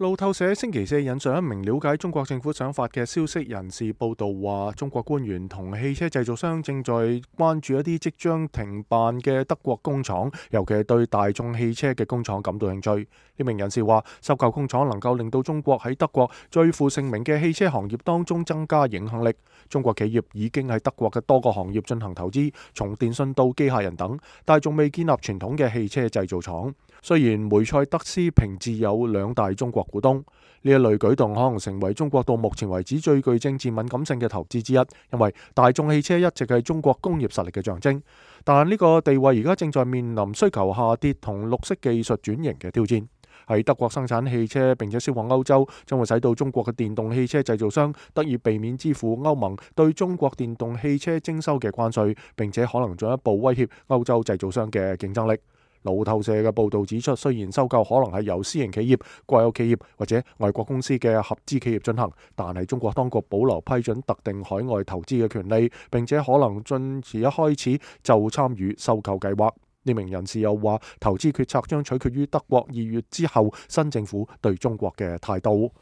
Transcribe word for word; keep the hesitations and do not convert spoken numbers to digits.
路透社星期四引述一名了解中國政府想法嘅消息人士報道話，中國官員同汽車製造商正在關注一啲即將停辦嘅德國工廠，尤其係對大眾汽車嘅工廠感到興趣。呢名人士話，收購工廠能夠令到中國喺德國最負盛名嘅汽車行業當中增加影響力。中國企業已經喺德國嘅多個行業進行投資，從電信到機械人等，但係仲未建立傳統嘅汽車製造廠。雖然梅賽德斯平治有兩大中國股東，呢一類舉動可能成為中國到目前為止最具政治敏感性嘅投資之一，因為大眾汽車一直係中國工業實力嘅象徵。但呢個地位而家正在面臨需求下跌同綠色技術轉型嘅挑戰。喺德國生產汽車並且銷往歐洲，將會使到中國嘅電動汽車製造商得以避免支付歐盟對中國電動汽車徵收嘅關稅，並且可能進一步威脅歐洲製造商嘅競爭力。路透社嘅報導指出，雖然收購可能係由私營企業、國有企業或者外國公司嘅合資企業進行，但係中國當局保留批准特定海外投資嘅權利，並且可能進而一開始就參與收購計劃。呢名人士又話，投資決策將取決於德國二月之後新政府對中國嘅態度。